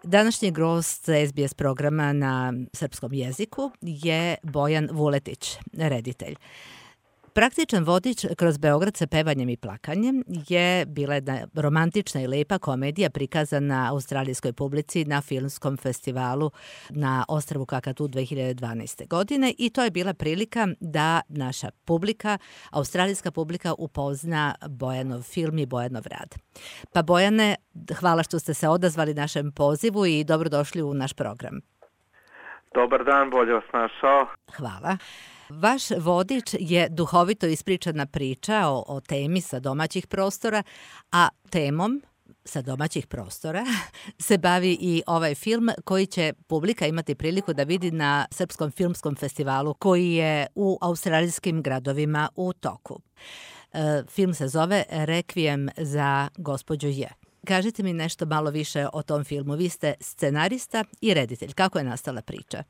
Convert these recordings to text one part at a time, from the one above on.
Današnji gost SBS programa na srpskom jeziku je Bojan Vuletić, reditelj. Praktičan vodič kroz Beograd sa pevanjem i plakanjem je bila jedna romantična i lepa komedija prikazana australijskoj publici na filmskom festivalu na ostrvu Kakadu 2012. godine i to je bila prilika da naša publika, australijska publika, upozna Bojanov film i Bojanov rad. Pa Bojane, hvala što ste se odazvali našem pozivu i dobrodošli u naš program. Dobar dan, bolje vas našao. Hvala. Vaš vodič je duhovito ispričana priča o temi sa domaćih prostora, a temom sa domaćih prostora se bavi i ovaj film koji će publika imati priliku da vidi na Srpskom filmskom festivalu koji je u australijskim gradovima u toku. Film se zove Rekvijem za gospođu J. Kažite mi nešto malo više o tom filmu. Vi ste scenarista i reditelj. Kako je nastala priča?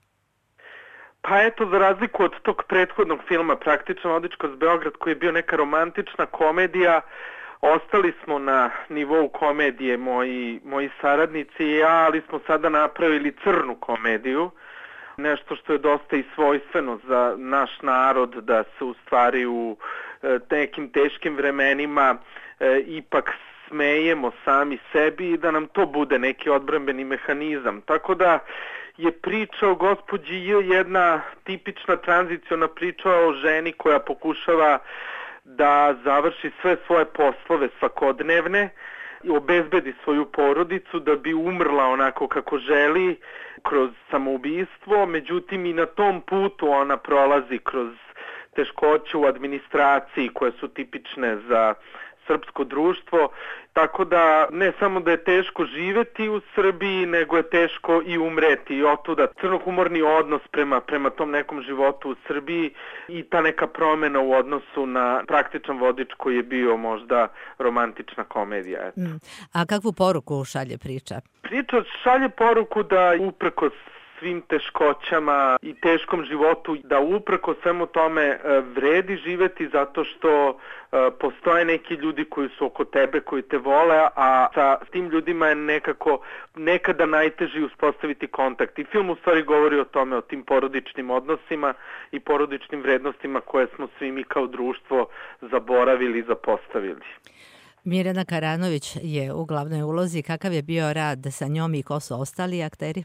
Pa eto, za razliku od tog prethodnog filma Praktičan vodič kroz Beograd, koji je bio neka romantična komedija, ostali smo na nivou komedije moji saradnici i ja, ali smo sada napravili crnu komediju, nešto što je dosta i svojstveno za naš narod, da se u stvari u nekim teškim vremenima ipak smejemo sami sebi i da nam to bude neki odbrambeni mehanizam. Tako da je priča o gospođi J jedna tipična tranziciona priča o ženi koja pokušava da završi sve svoje poslove svakodnevne i obezbedi svoju porodicu da bi umrla onako kako želi kroz samoubistvo. Međutim, i na tom putu ona prolazi kroz teškoće u administraciji koje su tipične za srpsko društvo, tako da ne samo da je teško živeti u Srbiji, nego je teško i umreti i otuda crnohumorni odnos prema tom nekom životu u Srbiji i ta neka promjena u odnosu na Praktičan vodič koji je bio možda romantična komedija. A kakvu poruku šalje priča? Priča šalje poruku da uprkos svim teškoćama i teškom životu, da uprkos svemu tome vredi živeti zato što postoje neki ljudi koji su oko tebe, koji te vole, a sa tim ljudima je nekada najteže uspostaviti kontakt. I film u stvari govori o tome, o tim porodičnim odnosima i porodičnim vrednostima koje smo svi mi kao društvo zaboravili i zapostavili. Mirjana Karanović je u glavnoj ulozi. Kakav je bio rad sa njom i ko su ostali akteri?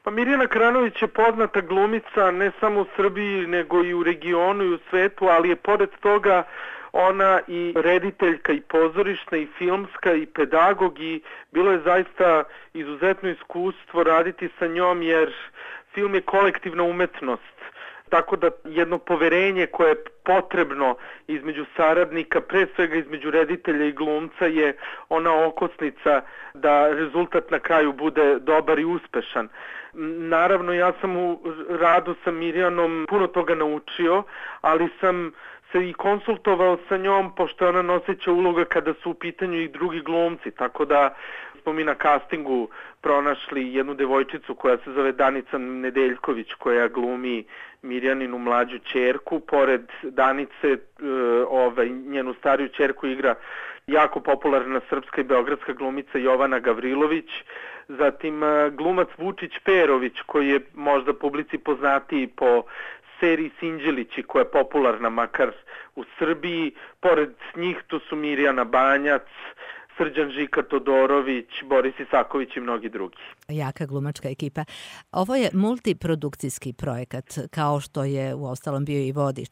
Pa Mirjana Karanović je poznata glumica ne samo u Srbiji nego i u regionu i u svetu, ali je pored toga ona i rediteljka i pozorišna i filmska i pedagog i bilo je zaista izuzetno iskustvo raditi sa njom jer film je kolektivna umetnost. Tako da jedno poverenje koje je potrebno između saradnika, pre svega između reditelja i glumca, je ona okosnica da rezultat na kraju bude dobar i uspešan. Naravno, ja sam u radu sa Mirjanom puno toga naučio, ali sam se i konsultovao sa njom, pošto je ona noseća uloga kada su u pitanju i drugi glumci, tako da smo mi na castingu pronašli jednu devojčicu koja se zove Danica Nedeljković, koja glumi Mirjaninu mlađu ćerku. Pored Danice, njenu stariju ćerku igra jako popularna srpska i beogradska glumica Jovana Gavrilović, zatim glumac Vučić Perović, koji je možda publici poznatiji po seriji Sinđelići, koja je popularna makar u Srbiji. Pored njih tu su Mirjana Banjac, Srđan Žika Todorović, Boris Isaković i mnogi drugi. Jaka glumačka ekipa. Ovo je multiprodukcijski projekat, kao što je uostalom bio i vodič.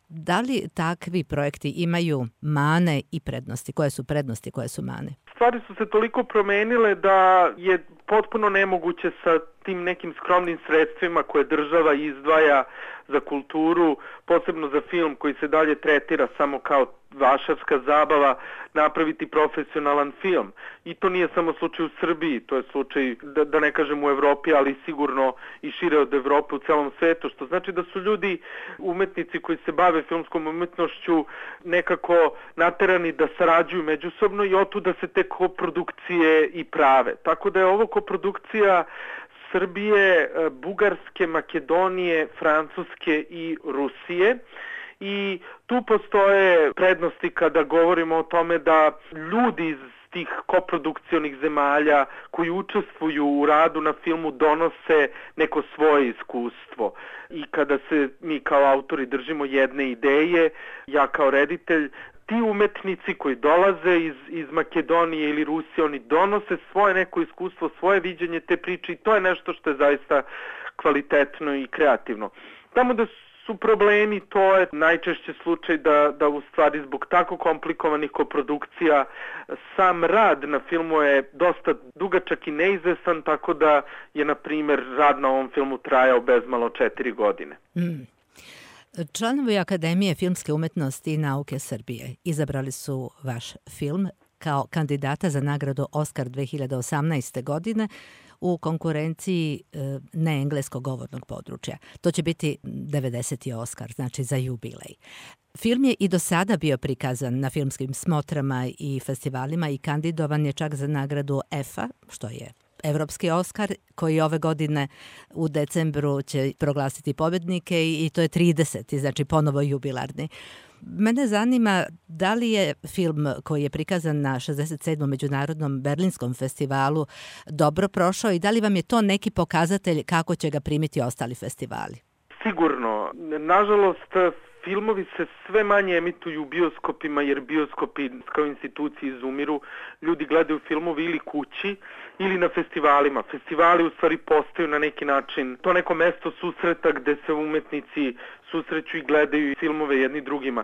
Da li takvi projekti imaju mane i prednosti? Koje su prednosti, koje su mane? Stvari su se toliko promenile da je potpuno nemoguće sa tim nekim skromnim sredstvima koje država izdvaja za kulturu, posebno za film koji se dalje tretira samo kao vašarska zabava, napraviti profesionalan film. I to nije samo slučaj u Srbiji, to je slučaj, da ne kažem u Evropi, ali sigurno i šire od Evrope u celom svetu, što znači da su ljudi, umetnici koji se bave filmskom umetnošću, nekako naterani da sarađuju međusobno i otuda se te koprodukcije i prave. Tako da je ovo koprodukcija Srbije, Bugarske, Makedonije, Francuske i Rusije. I tu postoje prednosti kada govorimo o tome da ljudi iz tih koprodukcionih zemalja koji učestvuju u radu na filmu donose neko svoje iskustvo. I kada se mi kao autori držimo jedne ideje, ja kao reditelj, ti umetnici koji dolaze iz Makedonije ili Rusije, oni donose svoje neko iskustvo, svoje viđenje te priče i to je nešto što je zaista kvalitetno i kreativno. Tamo da su problemi, to je najčešće slučaj da u stvari zbog tako komplikovanih koprodukcija sam rad na filmu je dosta dugačak i neizvesan, tako da je, na primjer, rad na ovom filmu trajao bezmalo 4 godine. Članovi Akademije filmske umetnosti i nauke Srbije izabrali su vaš film kao kandidata za nagradu Oskar 2018. godine u konkurenciji neengleskog govornog područja. To će biti 90. Oskar, znači za jubilej. Film je i do sada bio prikazan na filmskim smotrama i festivalima i kandidovan je čak za nagradu EFA, što je Evropski Oskar, koji ove godine u decembru će proglasiti pobednike i to je 30. znači ponovo jubilarni. Mene zanima da li je film koji je prikazan na 67. Međunarodnom Berlinskom festivalu dobro prošao i da li vam je to neki pokazatelj kako će ga primiti ostali festivali? Sigurno. Nažalost, filmovi se sve manje emituju u bioskopima jer bioskopi kao institucije izumiru. Ljudi gledaju filmove ili kući ili na festivalima. Festivali u stvari postaju na neki način to neko mesto susreta gde se umetnici susreću i gledaju filmove jedni drugima.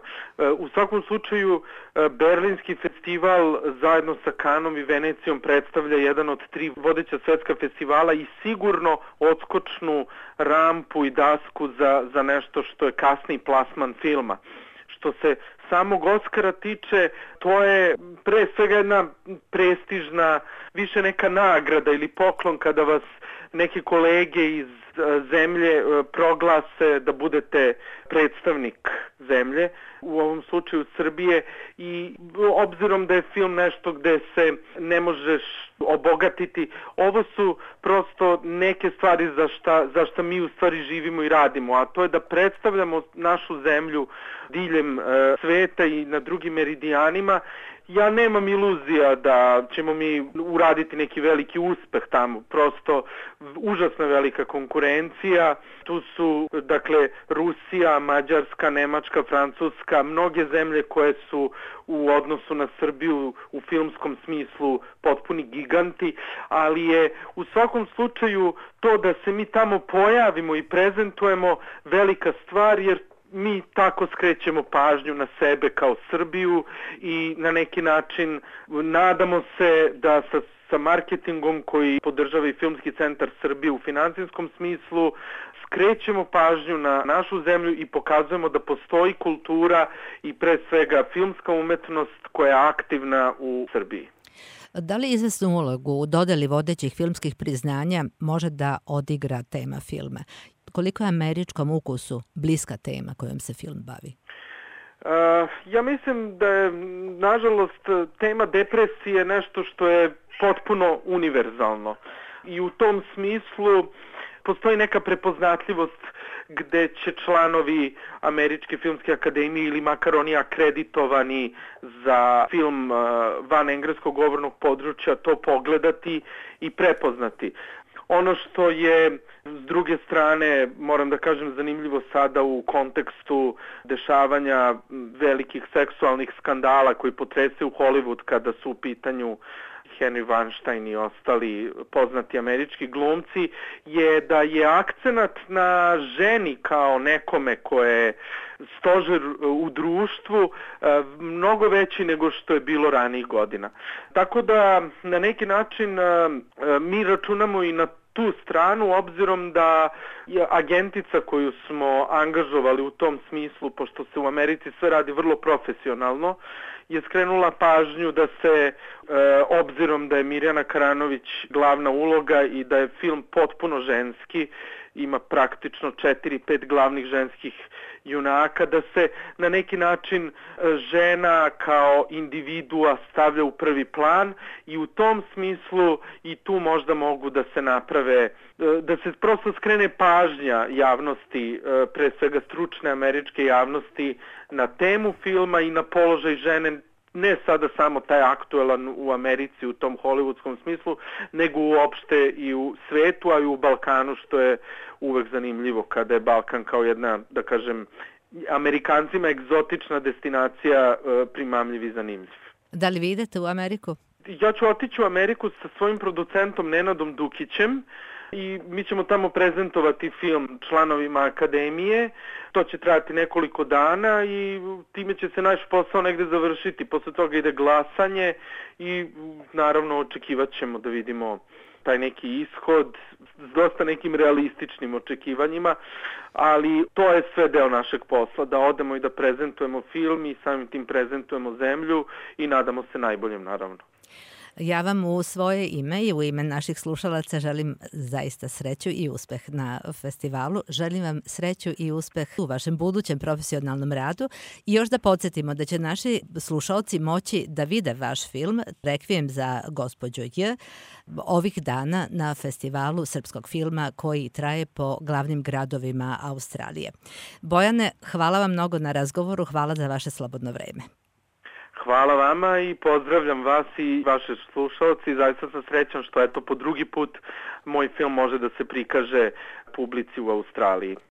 U svakom slučaju, Berlinski festival zajedno sa Kanom i Venecijom predstavlja jedan od 3 vodeća svetska festivala i sigurno odskočnu rampu i dasku za nešto što je kasniji plasman filma. Što se samog Oskara tiče, to je pre svega jedna prestižna, više neka nagrada ili poklon kada vas neke kolege iz zemlje proglase da budete predstavnik zemlje, u ovom slučaju Srbije, i obzirom da je film nešto gde se ne obogatiti, ovo su prosto neke stvari za šta mi u stvari živimo i radimo, a to je da predstavljamo našu zemlju diljem sveta i na drugim meridijanima. Ja nemam iluzija da ćemo mi uraditi neki veliki uspeh tamo, prosto užasno velika konkurencija. Tu su, dakle, Rusija, Mađarska, Nemačka, Francuska, mnoge zemlje koje su u odnosu na Srbiju u filmskom smislu potpuni giganti, ali je u svakom slučaju to da se mi tamo pojavimo i prezentujemo velika stvar, jer mi tako skrećemo pažnju na sebe kao Srbiju i na neki način nadamo se da sa marketingom koji podržava i Filmski centar Srbije u finansijskom smislu skrećemo pažnju na našu zemlju i pokazujemo da postoji kultura i pre svega filmska umetnost koja je aktivna u Srbiji. Da li izvesnu ulogu u dodeli vodećih filmskih priznanja može da odigra tema filma? Koliko je američkom ukusu bliska tema kojom se film bavi? Ja mislim da je, nažalost, tema depresije nešto što je potpuno univerzalno. I u tom smislu postoji neka prepoznatljivost gde će članovi Američke filmske akademije ili makar oni akreditovani za film van engleskog govornog područja to pogledati i prepoznati. Ono što je, s druge strane, moram da kažem, zanimljivo sada u kontekstu dešavanja velikih seksualnih skandala koji potrese u Hollywood kada su u pitanju Harvey Weinstein i ostali poznati američki glumci, je da je akcenat na ženi kao nekome koje je stožer u društvu mnogo veći nego što je bilo ranijih godina. Tako da na neki način mi računamo i na tu stranu, obzirom da je agentica koju smo angažovali u tom smislu, pošto se u Americi sve radi vrlo profesionalno, je skrenula pažnju da se, obzirom da je Mirjana Karanović glavna uloga i da je film potpuno ženski, ima praktično 4-5 glavnih ženskih junaka, da se na neki način žena kao individua stavlja u prvi plan i u tom smislu i tu možda mogu da se naprave, da se prosto skrene pažnja javnosti, pre svega stručne američke javnosti, na temu filma i na položaj žene ne sada samo taj aktuelan u Americi u tom hollywoodskom smislu, nego uopšte i u svetu, a i u Balkanu, što je uvek zanimljivo kada je Balkan kao jedna, da kažem, Amerikancima egzotična destinacija, primamljiv i zanimljiv. Da li vi idete u Ameriku? Ja ću otići u Ameriku sa svojim producentom Nenadom Dukićem i mi ćemo tamo prezentovati film članovima akademije. To će trajati nekoliko dana i time će se naš posao negde završiti. Posle toga ide glasanje i naravno očekivat ćemo da vidimo taj neki ishod s dosta nekim realističnim očekivanjima, ali to je sve deo našeg posla, da odemo i da prezentujemo film i samim tim prezentujemo zemlju i nadamo se najboljem, naravno. Ja vam u svoje ime i u ime naših slušalaca želim zaista sreću i uspeh na festivalu. Želim vam sreću i uspeh u vašem budućem profesionalnom radu i još da podsjetimo da će naši slušalci moći da vide vaš film Rekvijem za gospođu J ovih dana na festivalu srpskog filma koji traje po glavnim gradovima Australije. Bojane, hvala vam mnogo na razgovoru, hvala za vaše slobodno vreme. Hvala vama i pozdravljam vas i vaše slušalci. Zaista sam srećan što po drugi put moj film može da se prikaže publici u Australiji.